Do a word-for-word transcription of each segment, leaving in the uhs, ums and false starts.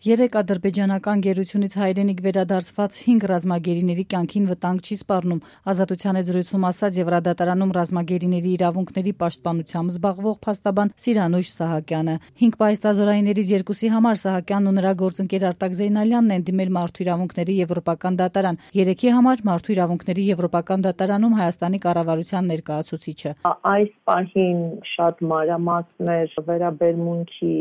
Երեք ադրբեջանական գերությունից հայրենիք վերադարձված հինգ ռազմագերիների կյանքին վտանգ չի սպառնում, Ազատության հետ զրույցում ասաց Եվրադատարանում ռազմագերիների իրավունքների պաշտպանությամբ զբաղվող փաստաբան Սիրանույշ Սահակյանը։ Հինգ պահեստազորայիններից երկուսի համար Սահակյանն ու նրա գործընկեր Արտակ Զեյնալյանն են դիմել Մարդու իրավունքների եվրոպական դատարան, երեքի համար Մարդու իրավունքների եվրոպական դատարանում Հայաստանի կառավարության ներկայացուցիչը։ Այս պահին շատ մանրամասներ վերաբերմունքի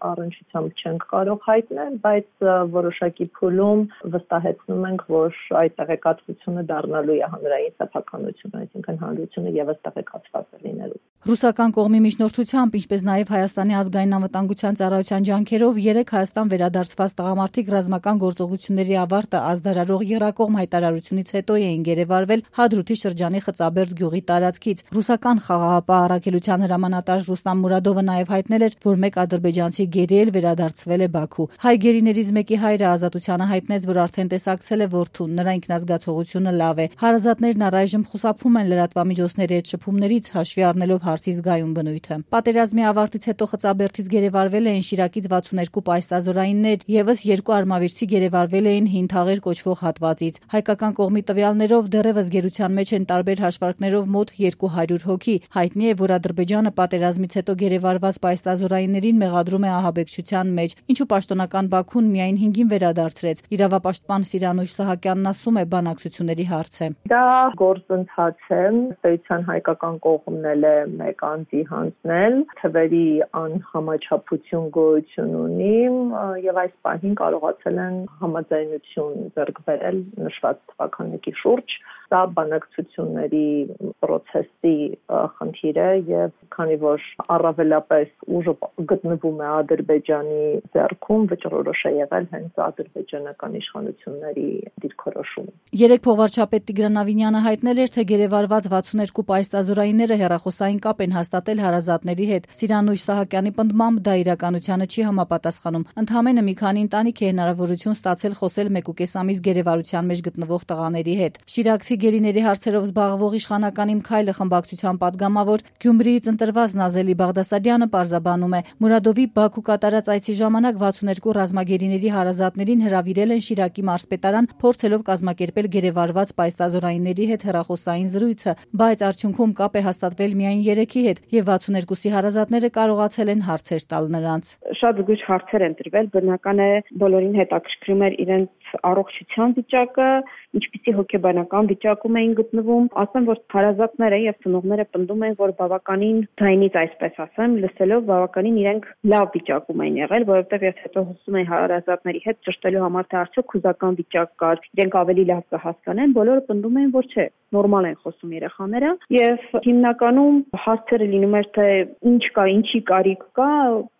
առնչությամբ չենք կարող հայտնել, բայց որոշակի փուլում վստահեցնում ենք, որ այդ տեղեկատվությունը դառնալու է հանրային սեփականություն, այսինքն հանրությունը եւս տեղեկացված է լինելու։ Ռուսական կողմի միջնորդությամբ, ինչպես նաև Հայաստանի ազգային անվտանգության ծառայության ջանքերով երեք Հայաստան վերադարձված տղամարդիկ ռազմական գործողությունների ավարտը ազդարարող եռակողմ հայտարարությունից հետո էին գերեվարվել Հադրութի շրջանի Խծաբերդ գյուղի տարածքից։ Ռուսական խաղաղապահ առաքելության հրամանատար Ռուստամ Մուրադովը նաև հայտնել էր, որ մեկ ադրբեջանցի գերի էլ վերադարձվել է Բաքու։ Հայ գերիներից մեկի հայրը Ազատությանը հայտնեց, որ արդեն տեսակցել է որդուն, նրա ինքնազգացողությունը լավ է։ Հարազատներն առայժմ խուսափում են լրատվամիջոցների հետ շփումներից, հաշվի առնելով հարցի զգայուն բնույթը։ Պատերազմի ավարտից հետո Խծաբերդից գերեվարվել էին Շիրակից վաթսունհերկու պահեստազորայիններ, եւս երկու արմավիրցի գերեվարվել էին Հին Թաղեր կոչվող հատվածից։ Հայկական կողմի տվյալներով դեռևս գերության մեջ են տարբեր հաշվարկներով մոտ երկու հարյուր հոգի։ Հայտնի է, որ Ադրբեջանը պատերազմից հետո գերեվարված պահեստազորայիններին մեղադրում է ահաբեկչության մեջ, ինչու պաշտոնական Բաքուն միայն հինգին վերադարձրեց։ Իրավապաշտպան Սիրանույշ Սահակյանն ասում է, բանակցությունների հարց է։ Դա գործընթաց է, պետության հայկական կողմն էլ է մեկ անձի հանձնել, թվերի անհամաչափություն գոյություն ունի եւ այս պահին կարողացել են համաձայնություն ձեռք բերել նշված թվականների շուրջ։ Սա բանակցությունների process-ի խնդիր է եւ քանի որ առավելապես ուժը գտնվում է Ադրբեջանի ձեռքում, վճռորոշ է եղել հենց ադրբեջանական իշխանությունների դիրքորոշումը։ Երեք փոխվարչապետ Տիգրան Ավինյանը հայտնել էր, թե գերեվարված վաթսունհերկու պահեստազորայինները հեռախոսային կապ են հաստատել հարազատների հետ։ Սիրանույշ Սահակյանի պնդմամբ դա իրականությանը չի համապատասխանում։ Ընդամենը մի քանի ընտանիք է հնարավորություն ստացել խոսել մեկուկես ամիս գերեվարության մեջ գտնվող տղաների հետ։ Շիրակցի գերիների հարցերով զբաղվող իշխանական Իմ Քայլը խմբակցության падգամավոր Գյումրիից ընտրված Նազելի Բաղդասարյանը պարզաբանում է, Մուրադովի Բաքու կատարած այցի ժամանակ վաթսունհերկու ռազմագերիների հարազատներին հրավիրել են Շիրակի մարզպետարան, փորձելով կազմակերպել գերեվարված պահեստազորայինների հետ հեռախոսային զրույցը, բայց արդյունքում կապ է հաստատվել միայն երեքի հետ եւ վաթսունհերկուսի հարազատները կարողացել են հարցեր տալ նրանց։ Շատ զգույշ հարցեր են տրվել, բնական է բոլորին հետաքրքրում էր իրենց առողջության վիճակը, ինչպիսի հոգեբանական վիճակում էին գտնվում։ Ասեմ, որ հարազատները եւ ծնողները պնդում են, որ բավականին ձայնից, այսպես ասեմ, լսելով բավականին իրենք լավ վիճակում են եղել, որովհետեւ ես հետո հոսում եմ հարազատների հետ ճշտելու համար, թե արդյոք հուզական վիճակ կար, իրենք ավելի լավ կհասկանեն, բոլորը պնդում են, որ չէ, նորմալ են խոսում երեխաները եւ հիմնականում հարցերը լինում էր, թե ինչ կա, ինչի կարիք կա,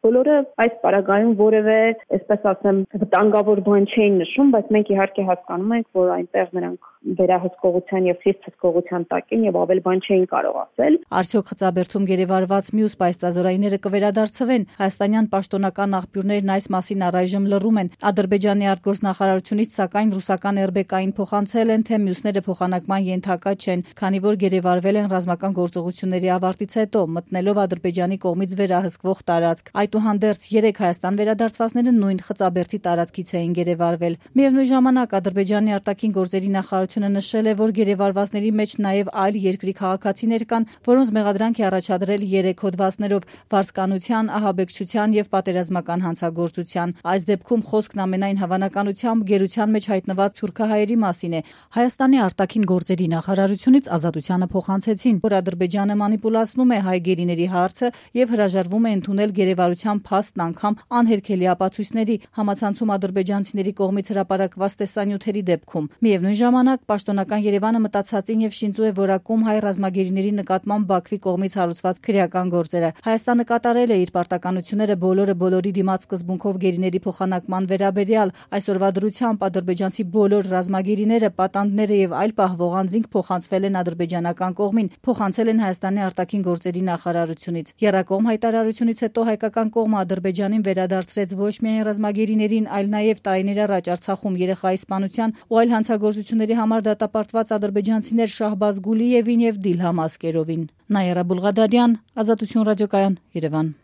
բոլորը այս պարագայում որևէ, այսպես ասեմ, վտանգավոր բան չէին նշում, բայց մենք իհարկե հասկանում ենք, որ այնտեղ նրանք վերահսկողության եւ խիստ հսկողության տակ են եւ ավել բան չէին կարող ասել։ Արդյոք Խծաբերդում գերեվարված մյուս պահեստազորայինները կվերադարձվեն։ Հայաստանյան պաշտոնական աղբյուրներն այս մասին առայժմ լռում են։ Ադրբեջանի արտգործնախարարությունից սակայն ռուսական Էրբեկային փոխանցել են, թե մյուսները փոխանակման ենթակա չեն, քանի որ գերեվարվել են ռազմական գործողությունների ավարտից հետո, մտնելով Ադրբեջանի կողմից վերահսկվող տարածք։ Այդուհանդերձ երեք Հայաստան վերադարձվածները նույն Խծաբերդի տարածքից էին գերեվարվել։ Միևնույն ժամանակ Ադրբեջանի արտաքին գործերի նախարարությունը նշել է, որ գերեվարվածների մեջ նաև այլ երկրի քաղաքացիներ կան, որոնց մեղադրանք է առաջադրել երեք հոդվածներով՝ վարձկանության, ահաբեկչության եւ պատերազմական հանցագործության։ Այս դեպքում խոսքն ամենայն հավանականությամբ գերության մեջ հայտնված թուրքահայերի մասին է։ Հայաստանի արտաքին գործերի նախարարությունից Ազատությանը փոխանցեցին, որ Ադրբեջանը մանիպուլացնում է հայ գերիների հարցը եւ հրաժարվում է ընդունել գերեվարության փաստն անգամ անհերքելի ապացույցների, համացանցում ադրբեջանցիների կողմից հրապարակված տեսանյութերի դեպքում։ Միևնույն ժամանակ պաշտոնական Երևանը մտածածին եւ շինծու է որակում հայ ռազմագերիների նկատմամբ Բաքվի կողմից հարուցված քրեական գործերը։ Հայաստանը կատարել է իր պարտականությունները բոլորը բոլորի դիմաց սկզբունքով գերիների փոխանակման վերաբերյալ։ Այսօրվա դրությամբ ադրբեջանցի բոլոր ռազմագերիները, պատանդները եւ այլ պահվող անձինք փոխանցվել են ադրբեջանական կողմին, փոխանցել են Հայաստանի արտաքին գործերի նախարարությունից։ Եռակողմ հայտարարությունից հետո հայկական կողմը Ադրբեջանին վերադարձրեց ոչ միայն ռազմագերիներին, այլ նաեւ տարիներ առաջ Արցախում երեխայի սպանության ու այլ հանցագործությունների համար դատապարտված ադրբեջանցիներ Շահբազ Գուլիևին եւ Դիլհամ Ասկերովին։ Նաիրա Բուլղադարյան, Ազատություն ռադիոկայան, Երևան։